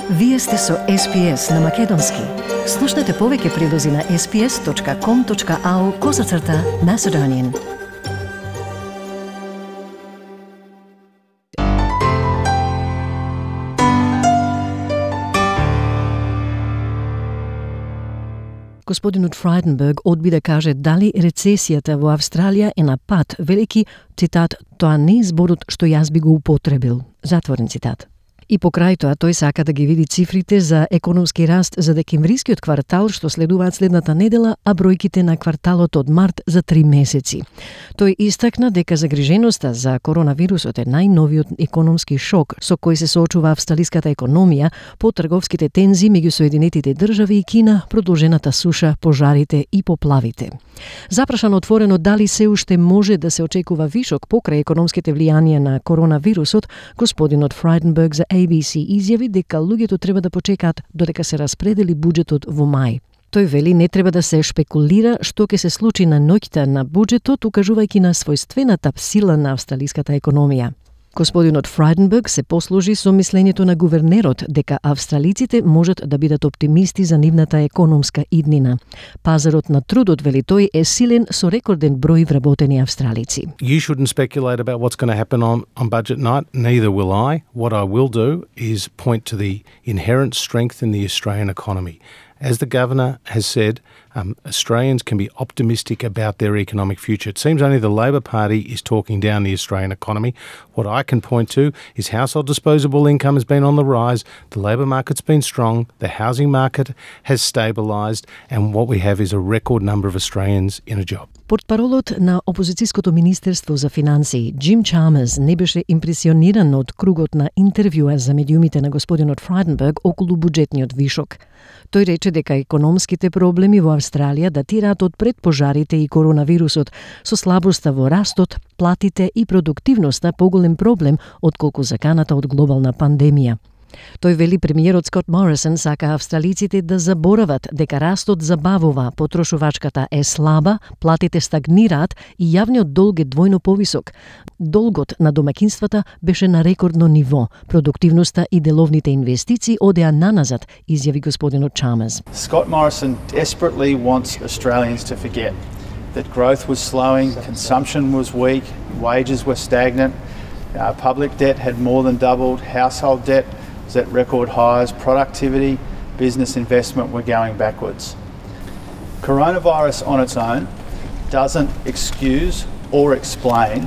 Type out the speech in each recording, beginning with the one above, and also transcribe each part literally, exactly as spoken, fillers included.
Вие сте со Ес Би Ес на Македонски. Слушнете повеќе прилози на ес би ес точка ком точка ау козацрта Macedonian. Господинот Фрайденберг одби да каже дали рецесијата во Австралија е на пат, велики, цитат, тоа не е зборот што јас би го употребил. Затворен цитат. И покрај тоа, тој сака да ги види цифрите за економски раст за декемврискиот квартал што следуваат следната недела, а бројките на кварталот од март за три месеци. Тој истакна дека загриженоста за коронавирусот е најновиот економски шок со кој се соочува австралиската економија по трговските тензии меѓу Соединетите држави и Кина, продолжената суша, пожарите и поплавите. Запрашан отворено дали се уште може да се очекува вишок покрај економските влијанија на коронавирусот, господинот Фрайденберг за Ей Би Си изјави дека луѓето треба да почекаат додека се распредели буџетот во мај. Тој вели не треба да се шпекулира што ќе се случи на ноќта на буџетот, укажувајќи на својствената сила на австралиската економија. Господинот Фрайденберг се послужи со мислењето на гувернерот дека австралиците можат да бидат оптимисти за нивната економска иднина. Пазарот на трудот, вели тој, е силен со рекорден број вработени австралици. You shouldn't speculate about what's going to happen on, on budget night. Neither will I. What I will do is point to the inherent strength in the Australian economy. As the Governor has said, um, Australians can be optimistic about their economic future. It seems only the Labor Party is talking down the Australian economy. What I can point to is household disposable income has been on the rise, the labour market's been strong, the housing market has stabilised, and what we have is a record number of Australians in a job. Портпаролот на опозицијското министерство за финансии, Джим Чалмерс, не беше импресиониран од кругот на интервјуа за медиумите на господинот Фрайденберг околу буџетниот вишок. Тој рече дека економските проблеми во Австралија датираат од пред пожарите и коронавирусот, со слабоста во растот, платите и продуктивноста поголем проблем отколку заканата од глобална пандемија. Тој вели премиерот Скот Морисон сака австралиците да заборават дека растот забавува, потрошувачката е слаба, платите стагнираат и јавниот долг е двојно повисок. Долгот на домаќинствата беше на рекордно ниво. Продуктивноста и деловните инвестиции одеа наназад, изјави господинот Чалмерс. Scott Morrison desperately wants Australians to forget that growth was slowing, consumption was weak, wages were stagnant, uh, public debt had more than doubled, household debt was at record highs, productivity, business investment were going backwards. Coronavirus on its own doesn't excuse or explain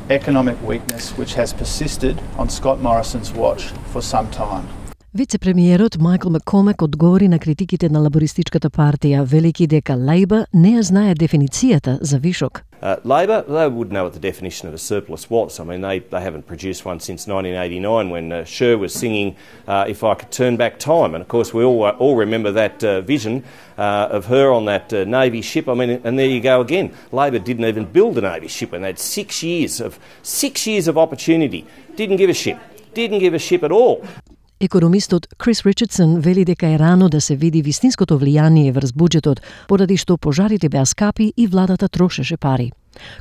economic weakness which has persisted on Scott Morrison's watch for some time. Вице-премиерот Майкл Маккормак одговори на критиките на лабористичката партија, велики дека Лейбор не ја знае дефиницијата за вишок. Uh, Labor, they would know what the definition of a surplus was. I mean, they, they haven't produced one since nineteen eighty-nine when uh, Cher was singing uh, If I Could Turn Back Time. And of course, we all, uh, all remember that uh, vision uh, of her on that uh, Navy ship. I mean, and there you go again. Labor didn't even build a Navy ship when they had six years of, six years of opportunity. Didn't give a shit. Didn't give a shit at all. Економистот Крис Ричардсон вели дека е рано да се види вистинското влијание врз буџетот, поради што пожарите беа скапи и владата трошеше пари.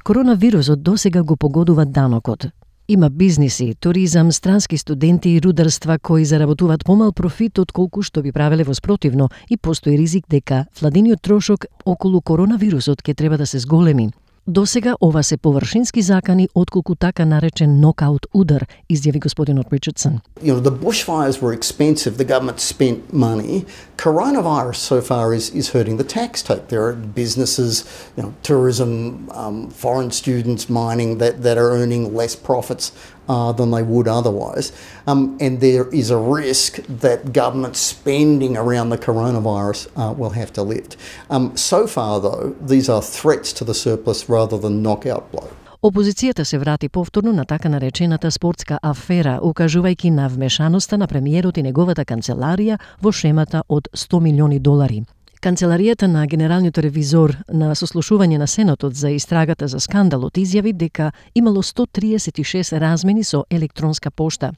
Коронавирусот досега го погодува данокот. Има бизниси, туризам, странски студенти и рударства кои заработуваат помал профит од колку што би правеле воспротивно и постои ризик дека владиниот трошок околу коронавирусот ќе треба да се зголеми. Досега ова се површински закани отколку така наречен нокаут удар, изјави господинот Ричардсон. You know, the bushfires were expensive, the government spent money. Coronavirus so far is, is hurting the tax take. There are businesses, you know, tourism, um, foreign students, mining that, that are earning less profits uh, than they would otherwise. Um, and there is a risk that government spending around the coronavirus uh, will have to lift. Um, so far, though, these are threats to the surplus rather than knockout blow. Опозицијата се врати повторно на така наречената спортска афера, укажувајќи на вмешаноста на премиерот и неговата канцеларија во шемата од сто милиони долари. Канцеларијата на генералниот ревизор на сослушување на Сенатот за истрагата за скандалот изјави дека имало сто триесет и шест размени со електронска пошта.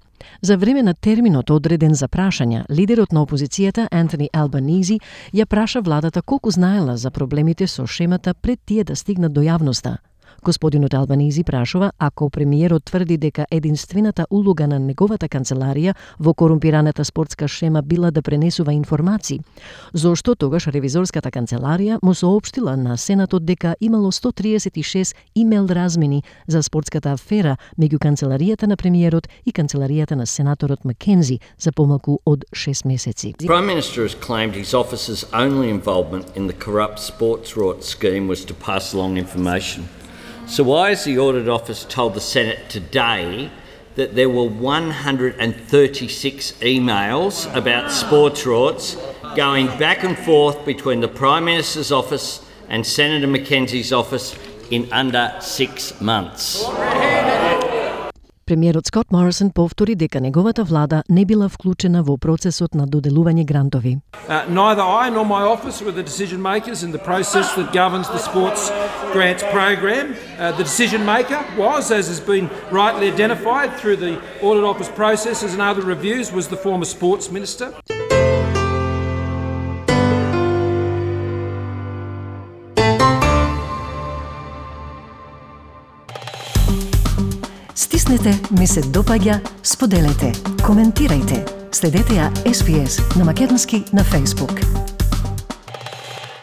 За време на терминот одреден за прашања, лидерот на опозицијата Антони Албанизи ја праша владата колку знаела за проблемите со шемата пред тие да стигнат до јавноста. Господинот Албанизи прашува ако премиерот тврди дека единствената улога на неговата канцеларија во корумпираната спортска шема била да пренесува информации, зошто тогаш ревизорската канцеларија му соопштила на Сенатот дека имало сто триесет и шест имейл размени за спортската афера меѓу канцеларијата на премиерот и канцеларијата на сенаторот Маккензи за помалку од шест месеци. The Prime Minister has claimed his office's only involvement in the corrupt sports rort scheme was to pass along information. So why has the Audit Office told the Senate today that there were one hundred thirty-six emails about sports rorts going back and forth between the Prime Minister's office and Senator Mackenzie's office in under six months? Премиерот Скот Морисон повтори дека неговата влада не била вклучена во процесот на доделување грантови. Uh, neither I nor my office were the decision makers in the process that governs the sports grants program. Uh, the decision maker was, as has been rightly identified through the Audit Office processes and other reviews, was the former Sports Minister. Стиснете, ми се допаѓа, споделете, коментирајте. Следете ја Ес Би Ес на македонски на Facebook.